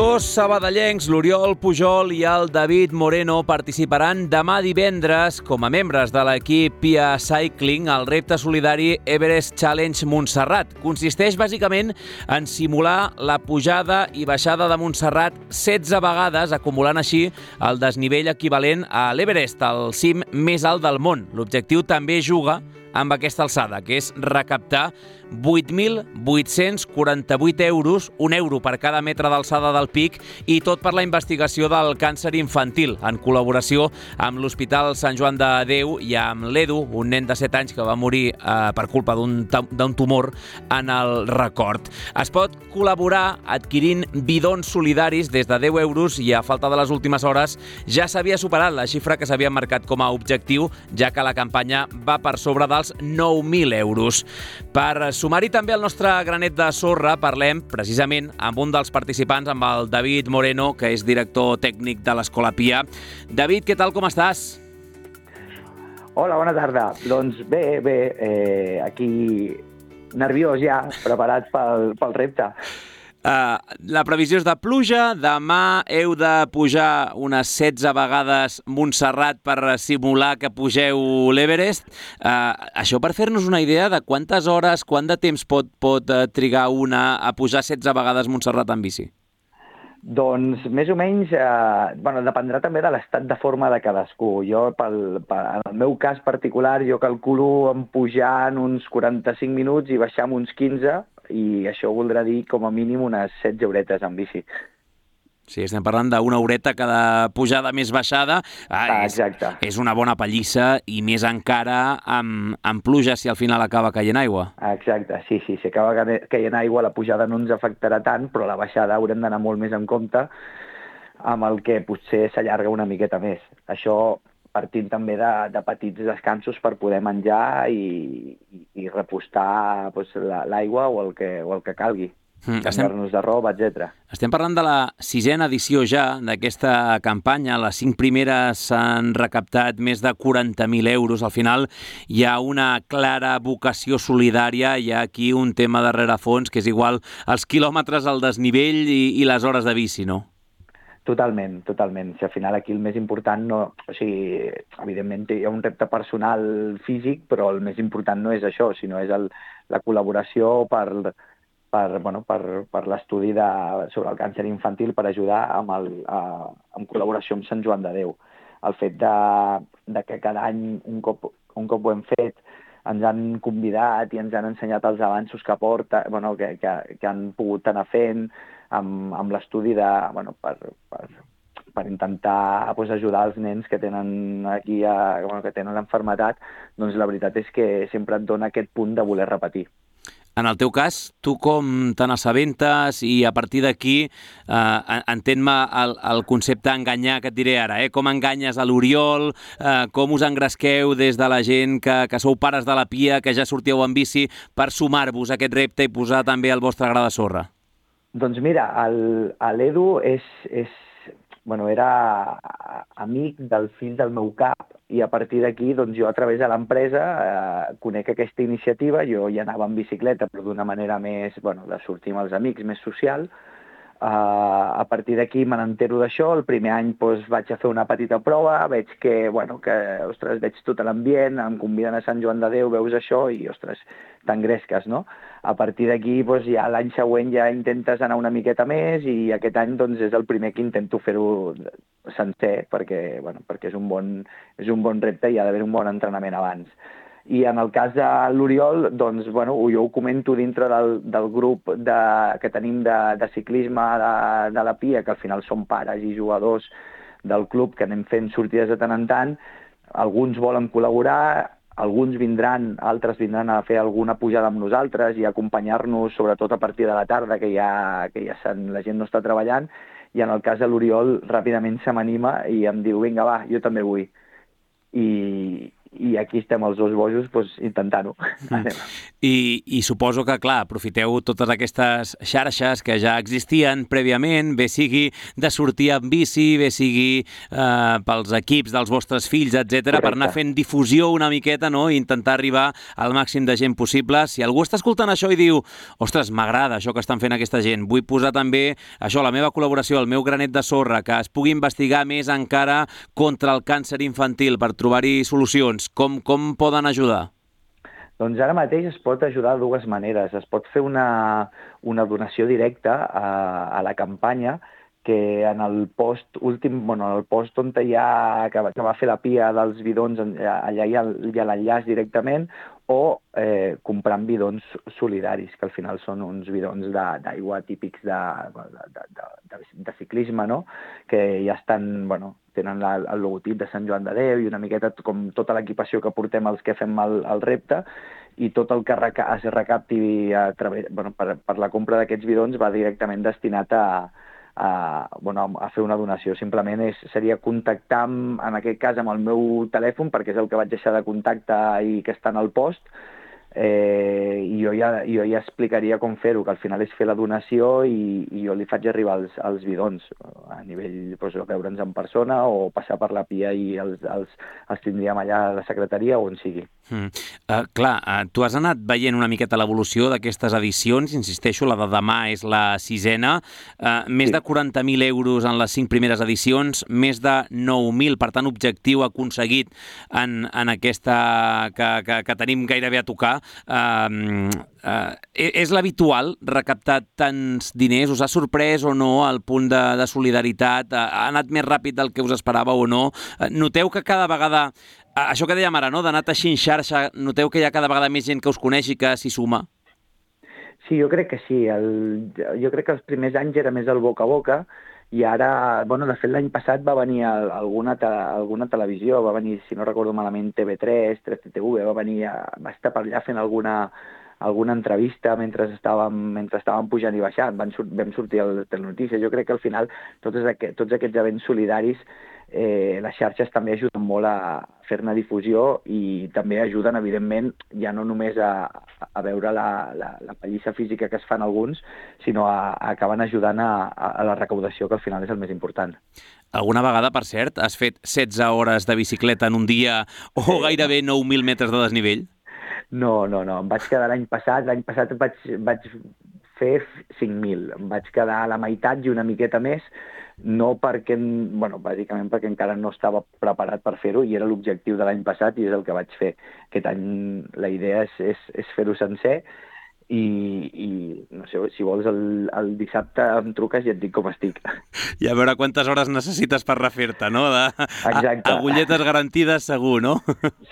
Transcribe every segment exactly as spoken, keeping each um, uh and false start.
Dos sabadellencs, l'Oriol Pujol i el David Moreno, participaran demà divendres com a membres de l'equip Pia Cycling al repte solidari Everest Challenge Montserrat. Consisteix bàsicament en simular la pujada i baixada de Montserrat setze vegades, acumulant així el desnivell equivalent a l'Everest, el cim més alt del món. L'objectiu també juga amb aquesta alçada, que és recaptar vuit mil vuit-cents quaranta-vuit euros, un euro per cada metre d'alçada del pic, i tot per la investigació del càncer infantil, en col·laboració amb l'Hospital Sant Joan de Déu i amb l'Edu, un nen de set anys que va morir eh, per culpa d'un d'un tumor en el record. Es pot col·laborar adquirint bidons solidaris des de deu euros i a falta de les últimes hores ja s'havia superat la xifra que s'havia marcat com a objectiu, ja que la campanya va per sobre dels nou mil euros. Per sumar-hi també el nostre granet de sorra, parlem precisament amb un dels participants, amb el David Moreno, que és director tècnic de l'Escola Pia. David, què tal, com estàs? Hola, bona tarda. Doncs bé, bé, eh, aquí nerviós ja, preparats pel, pel repte. Uh, la previsió és de pluja. Demà heu de pujar unes setze vegades Montserrat per simular que pugeu l'Everest. Uh, això per fer-nos una idea de quantes hores, quant de temps pot, pot uh, trigar una a pujar setze vegades Montserrat en bici? Doncs més o menys, eh, bueno, dependrà també de l'estat de forma de cadascú. Jo, pel, pel, en el meu cas particular, jo calculo en pujar en uns quaranta-cinc minuts i baixar en uns quinze, i això voldrà dir com a mínim unes setze horetes en bici. Sí, estem parlant d'una horeta cada pujada més baixada. Ah, és, Exacte. És una bona pallissa, i més encara amb, amb pluja, si al final acaba caient aigua. Exacte, sí, sí. Si acaba caient aigua, la pujada no ens afectarà tant, però la baixada haurem d'anar molt més en compte, amb el que potser s'allarga una miqueta més. Això partint també de, de petits descansos per poder menjar i, i, i repostar doncs, l'aigua o el que, o el que calgui. Mm, canviar-nos de roba, etcètera. Estem parlant de la sisena edició ja d'aquesta campanya. Les cinc primeres s'han recaptat més de quaranta mil euros. Al final hi ha una clara vocació solidària, hi ha aquí un tema de rerefons, que és igual els quilòmetres, el desnivell i, i les hores de bici, no? Totalment, totalment. Si al final aquí el més important, no, o sigui, evidentment hi ha un repte personal físic, però el més important no és això, sinó és el, la col·laboració per... per, bueno, per, per l'estudi de, sobre el càncer infantil, per ajudar amb, el, a, en col·laboració amb Sant Joan de Déu. El fet de, de que cada any, un cop, un cop ho hem fet, ens han convidat i ens han ensenyat els avanços que porta, bueno, que, que, que han pogut anar fent amb, amb l'estudi de, bueno, per, per, per intentar pues, ajudar els nens que tenen aquí a, bueno, que tenen l'enfermetat, doncs la veritat és que sempre et dona aquest punt de voler repetir. En el teu cas, tu com te n'assabentes i a partir d'aquí eh, entén-me el, el concepte enganyar que et diré ara, eh? Com enganyes a l'Oriol, eh, com us engresqueu des de la gent que, que sou pares de la Pia, que ja sortíeu en bici, per sumar-vos a aquest repte i posar també el vostre gra de sorra? Doncs mira, l'Edu és, és, bueno, era amic del fill del meu cap, i a partir d'aquí doncs, jo a través de l'empresa eh, conec aquesta iniciativa. Jo ja anava en bicicleta, però d'una manera més, bueno, de sortir amb els amics, més social. Eh, a partir d'aquí me n'entero d'això. El primer any doncs, vaig a fer una petita prova, veig que, bueno, que ostres, veig tot l'ambient, em conviden a Sant Joan de Déu, veus això i, ostres, t'engresques, no? A partir d'aquí, doncs, ja l'any següent ja intentes anar una miqueta més, i aquest any doncs, és el primer que intento fer-ho sencer, perquè, bueno, perquè és un bon, és un bon repte i ha d'haver un bon entrenament abans. I en el cas de l'Oriol, doncs, bueno, jo ho comento dintre del, del grup de, que tenim de, de ciclisme de, de la Pia, que al final són pares i jugadors del club, que anem fent sortides de tant en tant. Alguns volen col·laborar, alguns vindran, altres vindran a fer alguna pujada amb nosaltres i acompanyar-nos, sobretot a partir de la tarda, que ja, que ja la gent no està treballant, i en el cas de l'Oriol ràpidament se m'anima i em diu, vinga, va, jo també vull. I, i aquí estem els dos bojos doncs, intentant-ho. Mm. I, I suposo que, clar, aprofiteu totes aquestes xarxes que ja existien prèviament, bé sigui de sortir amb bici, bé sigui eh, pels equips dels vostres fills, etcètera, per anar fent difusió una miqueta, no?, i intentar arribar al màxim de gent possible. Si algú està escoltant això i diu, ostres, m'agrada això que estan fent aquesta gent, vull posar també això, la meva col·laboració, el meu granet de sorra, que es pugui investigar més encara contra el càncer infantil per trobar-hi solucions, com, com poden ajudar? Doncs ara mateix es pot ajudar de dues maneres. Es pot fer una, una donació directa a, a la campanya, que en el post últim, bueno, en el post on hi ha, que, que va fer la P I A dels bidons, allà hi ha, hi ha l'enllaç directament, o eh, comprant bidons solidaris, que al final són uns bidons d'aigua típics de, de, de, de, de ciclisme, no?, que ja estan, bueno, tenen la, el logotip de Sant Joan de Déu i una miqueta com tota l'equipació que portem els que fem el, el repte, i tot el que reca es recapti a través, bueno, per, per la compra d'aquests bidons va directament destinat a, a, bueno, a fer una donació. Simplement és, seria contactar, amb, en aquest cas, amb el meu telèfon, perquè és el que vaig deixar de contacte i que està en el post, eh, i jo ja, jo ja explicaria com fer-ho, que al final és fer la donació i, i jo li faig arribar els, els bidons a nivell, doncs, veure'ns en persona o passar per la P I A i els, els, els tindríem allà a la secretaria o on sigui. Mm. Uh, clar, uh, tu has anat veient una miqueta l'evolució d'aquestes edicions, insisteixo, la de demà és la sisena, uh, més sí. de quaranta mil euros en les cinc primeres edicions, més de nou mil, per tant, objectiu aconseguit en, en aquesta que, que, que tenim gairebé a tocar. Uh, uh, és l'habitual recaptar tants diners? Us ha sorprès o no el punt de, de solidaritat? Uh, ha anat més ràpid del que us esperàveu o no? Uh, noteu que cada vegada, uh, això que dèiem ara, no?, d'anar teixint xarxa, noteu que hi ha cada vegada més gent que us coneix i que s'hi suma? Sí, jo crec que sí. El, jo crec que els primers anys era més el boca a boca, i ara, bueno, de fet l'any passat va venir alguna, te, alguna televisió, va venir, si no recordo malament, T V tres, tres T T V, va venir, va estar per allà fent alguna, alguna entrevista mentre estàvem, mentre estàvem pujant i baixant, Van, vam sortir a les telenotícies. Jo crec que al final tots, aquest, tots aquests events solidaris, eh, les xarxes també ajuden molt a fer-ne difusió i també ajuden, evidentment, ja no només a, a veure la, la, la pallissa física que es fan alguns, sinó a, a acaben ajudant a, a la recaudació, que al final és el més important. Alguna vegada, per cert, has fet setze hores de bicicleta en un dia o gairebé nou mil metres de desnivell? No, no, no. Em vaig quedar l'any passat, l'any passat vaig, vaig fer cinc mil. Em vaig quedar a la meitat i una miqueta més, no perquè, bueno, bàsicament perquè encara no estava preparat per fer-ho i era l'objectiu de l'any passat i és el que vaig fer. Aquest any la idea és, és, és fer-ho sencer i, i no sé, si vols el, el dissabte em truques i et dic com estic. I a veure quantes hores necessites per refer-te, no? De, Exacte. A, agulletes garantides segur, no?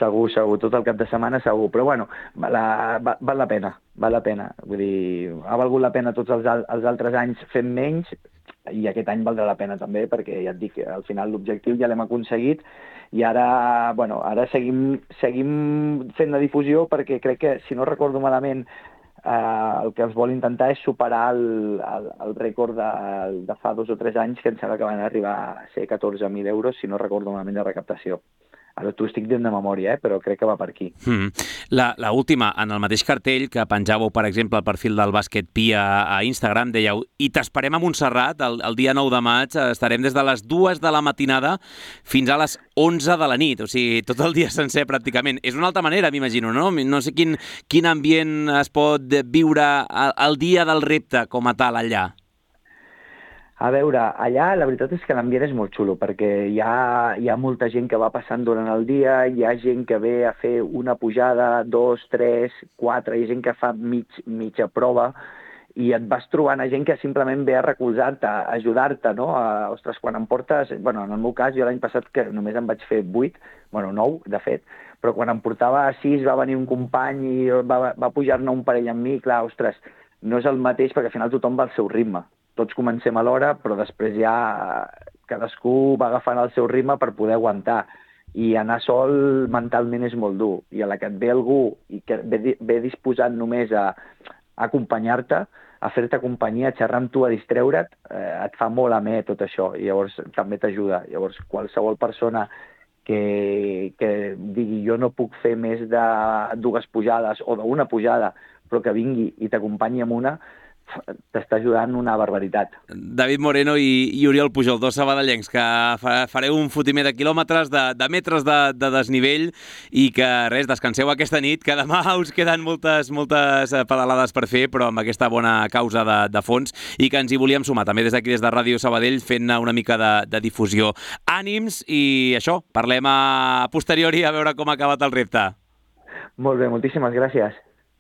Segur, segur, tot el cap de setmana segur, però bueno, la, val, val la pena, val la pena. Vull dir, ha valgut la pena tots els, els altres anys fent menys, i aquest any valdrà la pena també, perquè ja et dic, al final l'objectiu ja l'hem aconseguit i ara, bueno, ara seguim, seguim fent la difusió perquè crec que, si no recordo malament, eh, el que es vol intentar és superar el, el, el rècord de, de fa dos o tres anys, que em sembla que van arribar a ser catorze mil euros, si no recordo malament, de recaptació. Ara t'ho estic dient de memòria, eh? Però crec que va per aquí. Mm. La, la última, en el mateix cartell que penjàveu, per exemple, el perfil del Bàsquet P I A a Instagram, dèieu, i t'esperem a Montserrat el, el dia nou de maig, estarem des de les dues de la matinada fins a les onze de la nit, o sigui, tot el dia sencer pràcticament. És una altra manera, m'imagino, no? No sé quin, quin ambient es pot viure el dia del repte com a tal allà. A veure, allà la veritat és que l'ambient és molt xulo, perquè hi ha, hi ha molta gent que va passant durant el dia, hi ha gent que ve a fer una pujada, dos, tres, quatre, hi ha gent que fa mig, mitja prova, i et vas trobant a gent que simplement ve a recolzar-te, a ajudar-te, no? A, ostres, quan em portes... Bueno, en el meu cas, jo l'any passat que només em vaig fer vuit, bueno, nou, de fet, però quan em portava sis va venir un company i va, va pujar-ne un parell amb mi, clar, ostres, no és el mateix perquè al final tothom va al seu ritme. Tots comencem a l'hora, però després ja cadascú va agafant el seu ritme per poder aguantar. I anar sol mentalment és molt dur. I a la que et ve algú i que ve, ve disposat només a, a acompanyar-te, a fer-te companyia, a xerrar amb tu, a distreure't, eh, et fa molt amè tot això. I llavors també t'ajuda. Llavors qualsevol persona que, que digui jo no puc fer més de dues pujades o d'una pujada, però que vingui i t'acompanyi amb una, t'està ajudant una barbaritat. David Moreno i, i Oriol Pujol, dos sabadellencs que fa, fareu un fotimer de quilòmetres, de, de metres de, de desnivell i que, res, descanseu aquesta nit, que demà us queden moltes, moltes pedalades per fer, però amb aquesta bona causa de, de fons, i que ens hi volíem sumar, també des d'aquí, des de Ràdio Sabadell, fent una mica de, de difusió. Ànims i això, parlem a posteriori a veure com ha acabat el repte. Molt bé, moltíssimes gràcies.